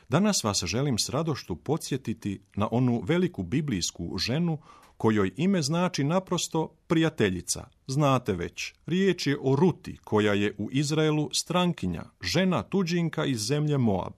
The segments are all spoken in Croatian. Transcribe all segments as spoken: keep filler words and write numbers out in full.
Danas vas želim s radošću podsjetiti na onu veliku biblijsku ženu kojoj ime znači naprosto prijateljica. Znate već, riječ je o Ruti, koja je u Izraelu strankinja, žena tuđinka iz zemlje Moab.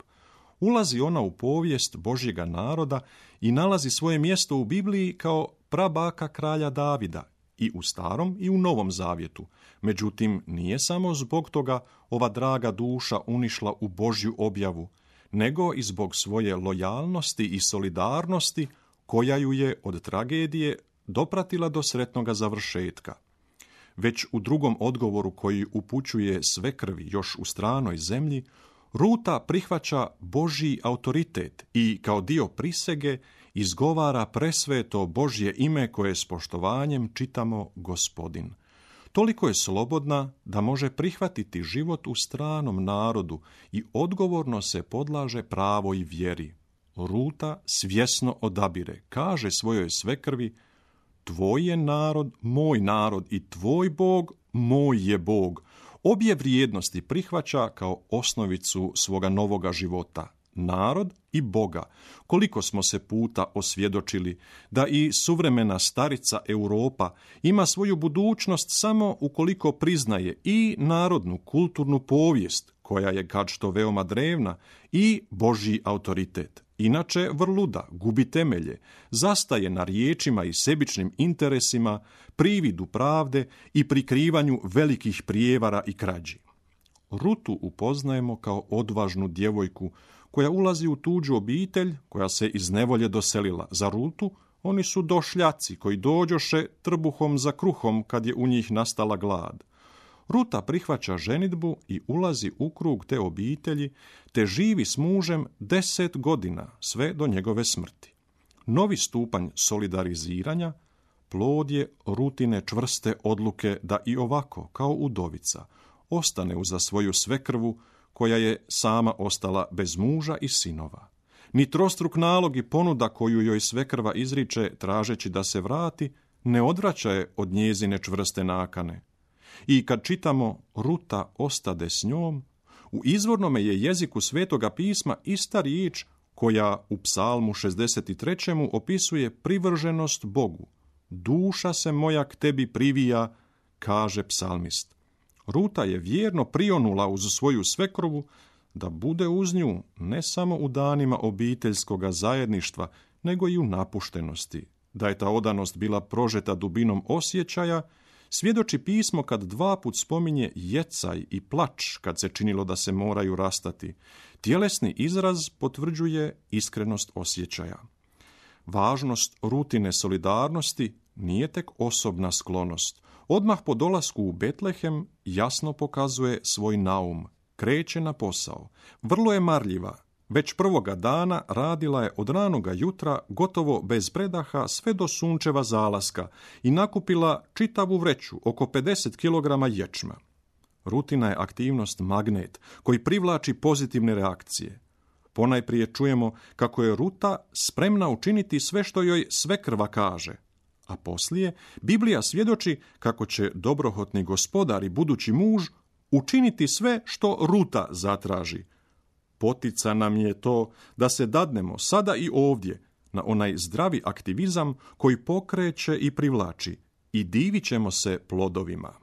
Ulazi ona u povijest Božjega naroda i nalazi svoje mjesto u Bibliji kao prabaka kralja Davida, i u Starom i u Novom Zavjetu. Međutim, nije samo zbog toga ova draga duša unišla u Božju objavu, nego i zbog svoje lojalnosti i solidarnosti koja ju je od tragedije dopratila do sretnoga završetka. Već u drugom odgovoru koji upućuje svekrvi još u stranoj zemlji, Ruta prihvaća Božji autoritet i kao dio prisege izgovara presveto Božje ime koje s poštovanjem čitamo Gospodin. Toliko je slobodna da može prihvatiti život u stranom narodu i odgovorno se podlaže pravoj vjeri. Ruta svjesno odabire, kaže svojoj svekrvi: tvoj je narod moj narod i tvoj Bog moj je Bog. Obje vrijednosti prihvaća kao osnovicu svoga novoga života, narod i Boga. Koliko smo se puta osvjedočili da i suvremena starica Europa ima svoju budućnost samo ukoliko priznaje i narodnu kulturnu povijest, koja je kad što veoma drevna, i Božji autoritet. Inače vrluda, gubi temelje, zastaje na riječima i sebičnim interesima, prividu pravde i prikrivanju velikih prijevara i krađi. Rutu upoznajemo kao odvažnu djevojku koja ulazi u tuđu obitelj, koja se iz nevolje doselila. Za Rutu oni su došljaci koji dođoše trbuhom za kruhom kad je u njih nastala glad. Ruta prihvaća ženidbu i ulazi u krug te obitelji, te živi s mužem deset godina, sve do njegove smrti. Novi stupanj solidariziranja plod je Rutine čvrste odluke da i ovako, kao udovica, ostane uza svoju svekrvu, koja je sama ostala bez muža i sinova. Ni trostruk nalog i ponuda koju joj svekrva izriče tražeći da se vrati, ne odvraća je od njezine čvrste nakane. I kad čitamo Ruta ostade s njom, u izvornome je jeziku Svetoga pisma ista riječ koja u Psalmu šezdeset tri. Opisuje privrženost Bogu. Duša se moja k tebi privija, kaže psalmist. Ruta je vjerno prionula uz svoju svekrovu da bude uz nju ne samo u danima obiteljskoga zajedništva, nego i u napuštenosti. Da je ta odanost bila prožeta dubinom osjećaja, svjedoči pismo kad dva put spominje jecaj i plač kad se činilo da se moraju rastati. Tjelesni izraz potvrđuje iskrenost osjećaja. Važnost Rutine solidarnosti nije tek osobna sklonost. Odmah po dolasku u Betlehem jasno pokazuje svoj naum. Kreće na posao. Vrlo je marljiva. Već prvoga dana radila je od ranoga jutra gotovo bez predaha sve do sunčeva zalaska i nakupila čitavu vreću, oko pedeset kilograma ječma. Rutina je aktivnost magnet koji privlači pozitivne reakcije. Ponajprije čujemo kako je Ruta spremna učiniti sve što joj svekrva kaže, a poslije Biblija svjedoči kako će dobrohotni gospodar i budući muž učiniti sve što Ruta zatraži. Potica nam je to da se dadnemo sada i ovdje na onaj zdravi aktivizam koji pokreće i privlači i divit ćemo se plodovima.